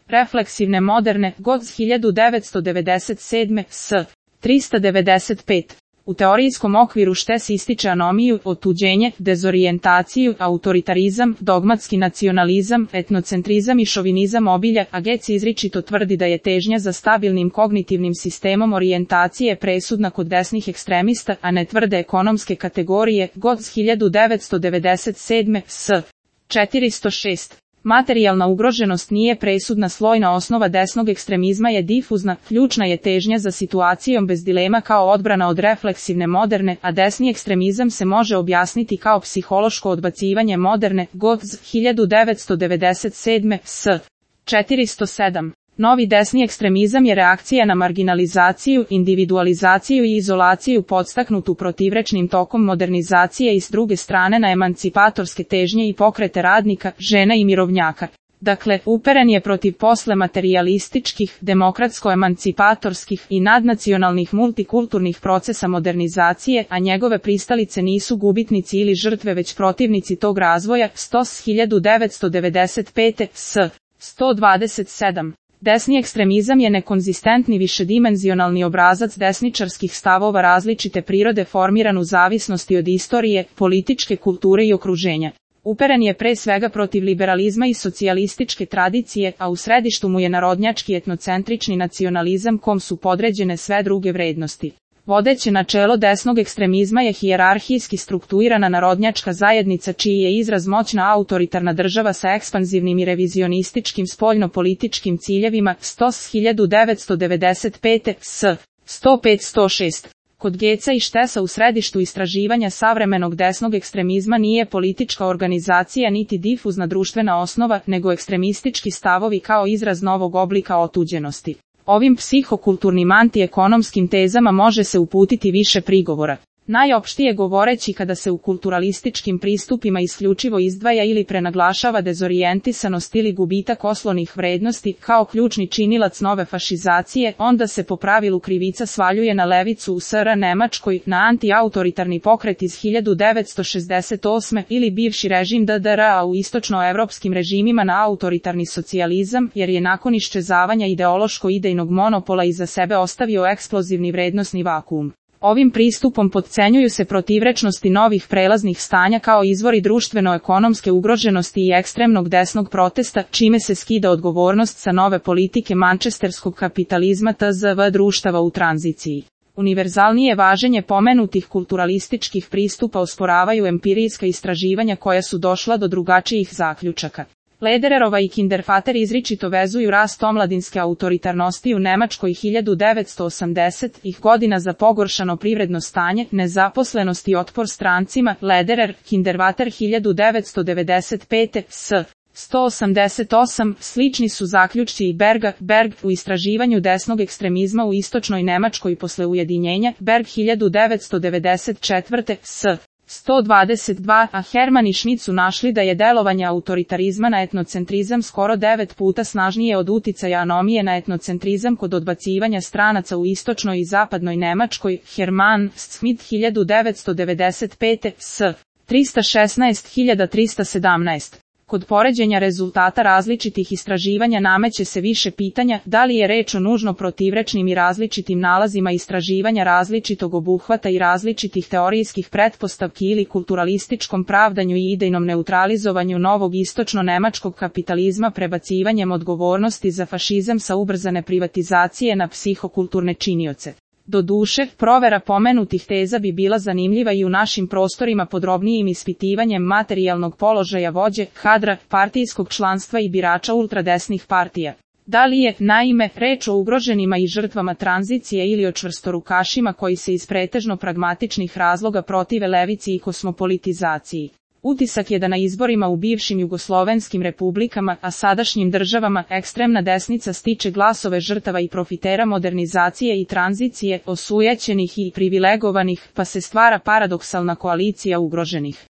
Refleksivne moderne, god 1997, s. 395. U teorijskom okviru štes ističe anomiju, otuđenje, dezorijentaciju, autoritarizam, dogmatski nacionalizam, etnocentrizam i šovinizam obilja, a Getz izričito tvrdi da je težnja za stabilnim kognitivnim sistemom orijentacije presudna kod desnih ekstremista, a ne tvrde ekonomske kategorije, god 1997, s. 406. Materijalna ugroženost nije presudna, slojna osnova desnog ekstremizma je difuzna, ključna je težnja za situacijom bez dilema kao odbrana od refleksivne moderne, a desni ekstremizam se može objasniti kao psihološko odbacivanje moderne, god 1997, s. 407. Novi desni ekstremizam je reakcija na marginalizaciju, individualizaciju i izolaciju podstaknutu protivrečnim tokom modernizacije i s druge strane na emancipatorske težnje i pokrete radnika, žena i mirovnjaka. Dakle, uperen je protiv posle materijalističkih, demokratsko-emancipatorskih i nadnacionalnih multikulturnih procesa modernizacije, a njegove pristalice nisu gubitnici ili žrtve već protivnici tog razvoja, 1995, s. 127. Desni ekstremizam je nekonzistentni višedimenzionalni obrazac desničarskih stavova različite prirode formiran u zavisnosti od istorije, političke kulture i okruženja. Uperen je pre svega protiv liberalizma i socijalističke tradicije, a u središtu mu je narodnjački etnocentrični nacionalizam kom su podređene sve druge vrednosti. Vodeće načelo desnog ekstremizma je hijerarhijski strukturirana narodnjačka zajednica čiji je izraz moćna autoritarna država sa ekspanzivnim i revizionističkim spoljno-političkim ciljevima, 1995, s. 105-106. Kod Getza i Štesa u središtu istraživanja savremenog desnog ekstremizma nije politička organizacija niti difuzna društvena osnova, nego ekstremistički stavovi kao izraz novog oblika otuđenosti. Ovim psihokulturnim antiekonomskim tezama može se uputiti više prigovora. Najopštije govoreći, kada se u kulturalističkim pristupima isključivo izdvaja ili prenaglašava dezorijentisanost ili gubitak oslovnih vrednosti kao ključni činilac nove fašizacije, onda se po pravilu krivica svaljuje na levicu u SR Nemačkoj, na antiautoritarni pokret iz 1968. ili bivši režim DDR, a u istočnoevropskim režimima na autoritarni socijalizam, jer je nakon iščezavanja ideološko-idejnog monopola iza sebe ostavio eksplozivni vrednosni vakuum. Ovim pristupom potcenjuju se protivrečnosti novih prelaznih stanja kao izvori društveno-ekonomske ugroženosti i ekstremnog desnog protesta, čime se skida odgovornost sa nove politike mančesterskog kapitalizma tzv. Društava u tranziciji. Univerzalnije važenje pomenutih kulturalističkih pristupa osporavaju empirijska istraživanja koja su došla do drugačijih zaključaka. Ledererova i Kindervater izričito vezuju rast omladinske autoritarnosti u Nemačkoj 1980-ih godina za pogoršano privredno stanje, nezaposlenost i otpor strancima. Lederer, Kindervater 1995, s. 188, slični su zaključci i Berg u istraživanju desnog ekstremizma u istočnoj Nemačkoj posle ujedinjenja, Berg 1994, s. 122, a Herman i Schmidt su našli da je delovanje autoritarizma na etnocentrizam skoro 9 puta snažnije od uticaja anomije na etnocentrizam kod odbacivanja stranaca u istočnoj i zapadnoj Nemačkoj. Herman, Schmidt 1995, s. 316.317. Kod poređenja rezultata različitih istraživanja nameće se više pitanja, da li je reč o nužno protivrečnim i različitim nalazima istraživanja različitog obuhvata i različitih teorijskih pretpostavki ili kulturalističkom pravdanju i idejnom neutralizovanju novog istočno-nemačkog kapitalizma prebacivanjem odgovornosti za fašizam sa ubrzane privatizacije na psihokulturne činioce. Doduše, provera pomenutih teza bi bila zanimljiva i u našim prostorima podrobnijim ispitivanjem materijalnog položaja vođe, kadra, partijskog članstva i birača ultradesnih partija. Da li je, naime, reč o ugroženima i žrtvama tranzicije ili o čvrstorukašima koji se iz pretežno pragmatičnih razloga protive levici i kosmopolitizaciji? Utisak je da na izborima u bivšim jugoslovenskim republikama, a sadašnjim državama, ekstremna desnica stiče glasove žrtava i profitera modernizacije i tranzicije, osujećenih i privilegovanih, pa se stvara paradoksalna koalicija ugroženih.